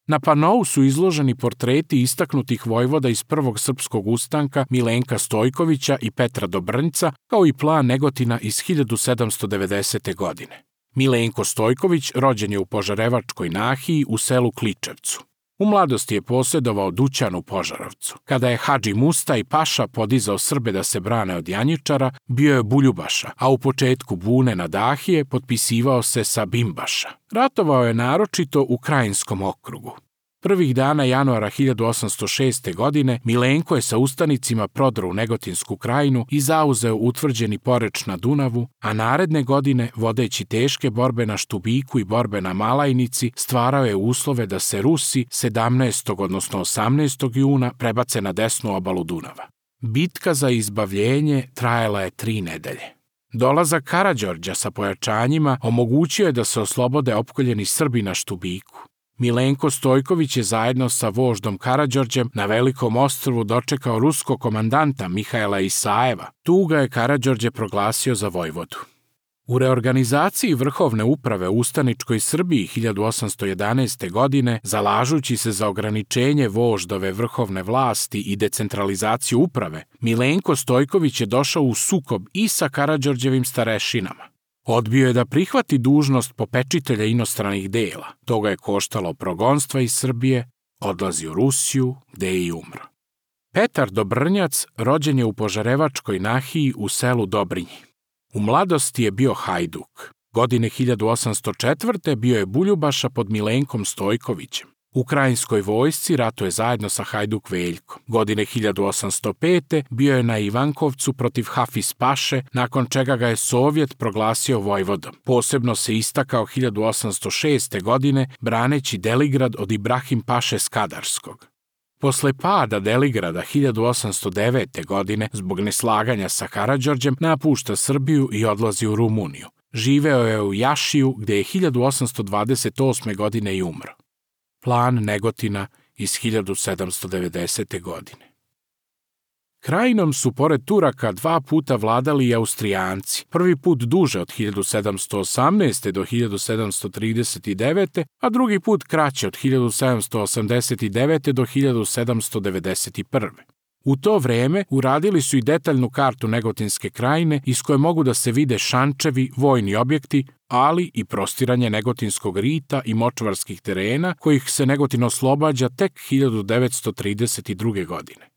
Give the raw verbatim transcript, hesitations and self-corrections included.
Na panou su izloženi portreti istaknutih vojvoda iz Prvog srpskog ustanka Milenka Stojkovića i Petra Dobrnjca, kao i plan Negotina iz hiljadu sedamsto devedesete. godine. Milenko Stojković rođen je u Požarevačkoj nahiji u selu Kličevcu. U mladosti je posjedovao dućan u Požarovcu. Kada je Hadži Mustaj Paša podizao Srbe da se brane od Janjičara, bio je Buljubaša, a u početku bune na Dahije potpisivao se sa Bimbaša. Ratovao je naročito u Krajinskom okrugu. Prvih dana januara hiljadu osamsto šeste. godine Milenko je sa ustanicima prodro u Negotinsku krajinu i zauzeo utvrđeni Poreč na Dunavu, a naredne godine, vodeći teške borbe na Štubiku i borbe na Malajnici, stvarao je uslove da se Rusi sedamnaestog odnosno osamnaestog juna prebace na desnu obalu Dunava. Bitka za izbavljenje trajala je tri nedelje. Dolazak Karađorđa sa pojačanjima omogućio je da se oslobode opkoljeni Srbi na Štubiku. Milenko Stojković je zajedno sa voždom Karađorđem na Velikom ostrvu dočekao ruskog komandanta Mihajla Isajeva. Tu ga je Karađorđe proglasio za vojvodu. U reorganizaciji vrhovne uprave u ustaničkoj Srbiji hiljadu osamsto jedanaeste. godine, zalažući se za ograničenje voždove vrhovne vlasti i decentralizaciju uprave, Milenko Stojković je došao u sukob i sa Karađorđevim starešinama. Odbio je da prihvati dužnost popečitelja inostranih dela. To ga je koštalo progonstva iz Srbije, odlazi u Rusiju, gde je i umro. Petar Dobrnjac rođen je u Požarevačkoj nahiji u selu Dobrinji. U mladosti je bio hajduk. Godine hiljadu osamsto četvrte. bio je Buljubaša pod Milenkom Stojkovićem. U Krajinskoj vojsci ratuje zajedno sa Hajduk Veljkom. Godine hiljadu osamsto pete. bio je na Ivankovcu protiv Hafiz Paše, nakon čega ga je Sovjet proglasio vojvodom. Posebno se istakao hiljadu osamsto šeste. godine braneći Deligrad od Ibrahim Paše Skadarskog. Posle pada Deligrada hiljadu osamsto devete. godine, zbog neslaganja sa Karađorđem, napušta Srbiju i odlazi u Rumuniju. Živeo je u Jašiju, gde je hiljadu osamsto dvadeset osme. godine i umro. Plan Negotina iz hiljadu sedamsto devedesete. godine. Krajinom su pored Turaka dva puta vladali i Austrijanci, prvi put duže od hiljadu sedamsto osamnaeste. do hiljadu sedamsto trideset devete. a drugi put kraće od hiljadu sedamsto osamdeset devete. do hiljadu sedamsto devedeset prve. U to vreme uradili su i detaljnu kartu Negotinske krajine iz koje mogu da se vide šančevi, vojni objekti, ali i prostiranje Negotinskog rita i močvarskih terena, kojih se Negotin oslobađa tek hiljadu devetsto trideset druge. godine.